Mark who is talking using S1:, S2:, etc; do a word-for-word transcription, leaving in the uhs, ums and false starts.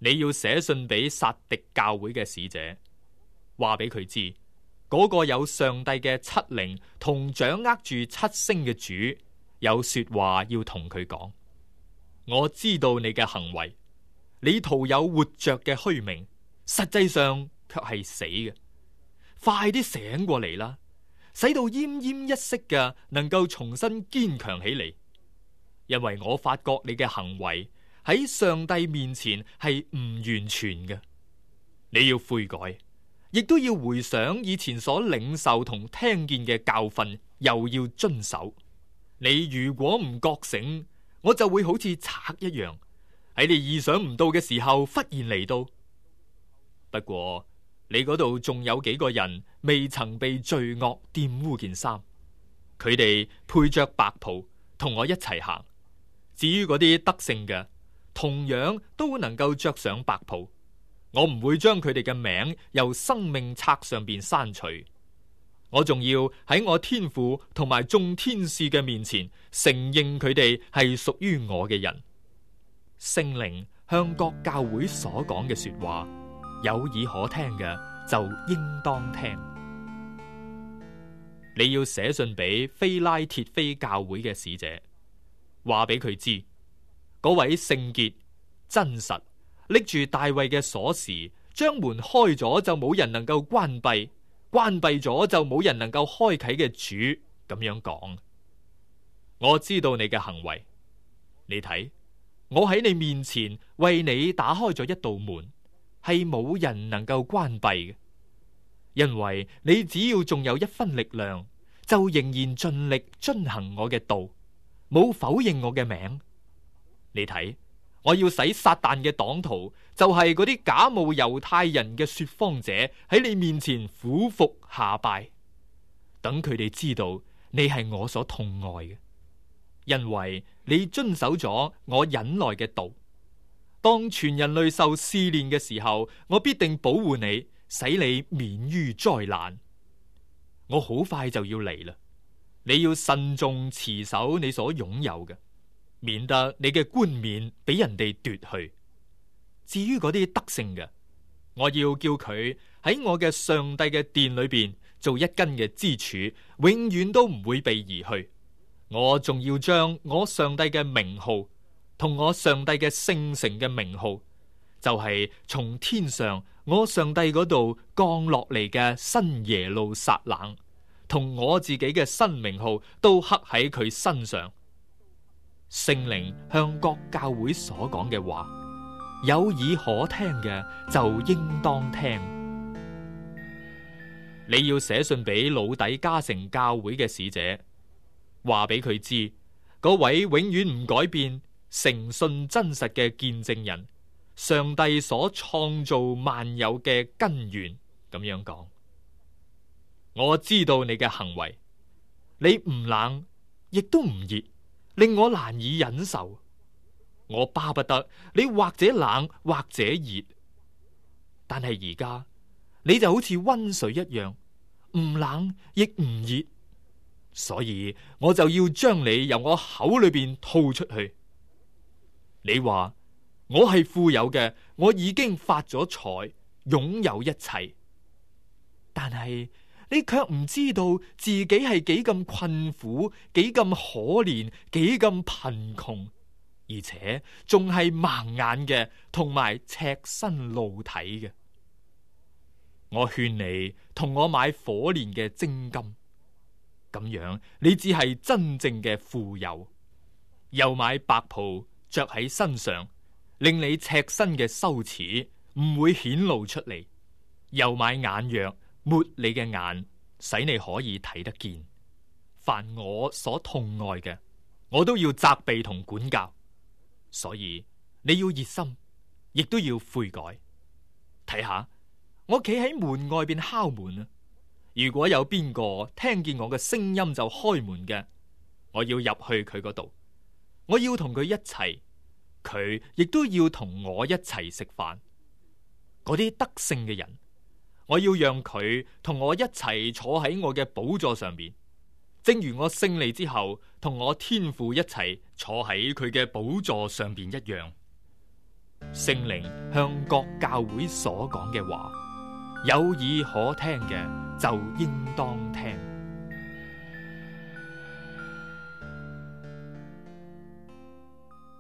S1: 你要寫信俾撒狄教會嘅使者，話俾佢知，嗰個有上帝嘅七靈同掌握住七星嘅主，有說話要同佢講。我知道你嘅行為，你徒有活着嘅虛名，實際上卻係死嘅。快啲醒過嚟啦，使到奄奄一息嘅能夠重新堅強起嚟。因為我發覺你嘅行為喺上帝面前係唔完全嘅，你要悔改，亦都要回想以前所領受同聽見嘅教訓，又要遵守。你如果唔覺醒，我就會好似賊一樣，喺你意想唔到嘅時候忽然嚟到。不過你嗰度仲有幾個人未曾被罪惡玷污件衫，佢哋配着白袍同我一齊行。至於嗰啲得勝嘅，同樣都能夠着上白袍。我唔會將佢哋嘅名由生命冊上邊刪除。我仲要喺我天父同埋眾天使嘅面前承認佢哋係屬於我嘅人。聖靈向各教會所講嘅說話，有耳可聽嘅就應當聽。你要寫信俾非拉鐵非教會嘅使者，話俾佢知，嗰位聖潔真實拎住大衛嘅鎖匙，將門開咗就冇人能夠關閉，關閉咗就冇人能夠開啟嘅主咁樣講。我知道你嘅行為，你睇，我喺你面前為你打開咗一道門，係冇人能夠關閉嘅。因為你只要仲有一分力量，就仍然盡力遵行我嘅道，冇否認我嘅名。你睇，我要使撒旦嘅黨徒，就係嗰啲假冒猶太人嘅說謊者，喺你面前俯伏下拜，等佢哋知道你係我所痛愛嘅，因為你遵守咗我忍耐嘅道。當全人類受試煉嘅時候，我必定保護你，使你免於災難。我好快就要嚟啦，你要慎重持守你所擁有嘅，免得你嘅冠冕俾人哋奪去。至於嗰啲得勝嘅，我要叫佢喺我嘅上帝嘅殿裏邊做一根嘅支柱，永遠都唔會被移去。我仲要將我上帝嘅名號同我上帝嘅聖城嘅名號，就係從天上我上帝嗰度降落嚟嘅新耶路撒冷，同我自己嘅新名號都刻喺佢身上。聖靈向各教會所講嘅話，有耳可聽嘅就應當聽。你要寫信俾老底嘉城教會嘅使者，話俾佢知，嗰位永遠唔改變、誠信真實嘅見證人，上帝所創造萬有嘅根源，咁樣講。我知道你嘅行為，你唔冷亦都唔熱，令我難以忍受。我巴不得你或者冷或者熱，但係而家你就好似溫水一樣，唔冷亦唔熱，所以我就要將你由我口裏邊吐出去。你話我係富有嘅，我已經發咗財，擁有一切，但係你卻唔知道自己係幾咁困苦，幾咁可憐，幾咁貧窮，而且仲係盲眼嘅，同埋赤身露體嘅。我勸你同我買火煉嘅精金，咁樣你只係真正嘅富有。又買白袍着喺身上，令你赤身嘅羞恥唔會顯露出嚟。又買眼藥抹你嘅眼，使你可以睇得見。凡我所痛愛嘅，我都要責備同管教。所以你要熱心，亦都要悔改。睇下，我企喺門外邊敲門啊！如果有邊個聽見我嘅聲音就開門嘅，我要入去佢嗰度，我要同佢一齊，佢亦都要同我一齊食飯。嗰啲得勝嘅人，我要讓佢同我一齊坐喺我嘅寶座上邊，正如我勝利之後同我天父一齊坐喺佢嘅寶座上邊一樣。聖靈向各教會所講嘅話，有耳可聽嘅就應當聽。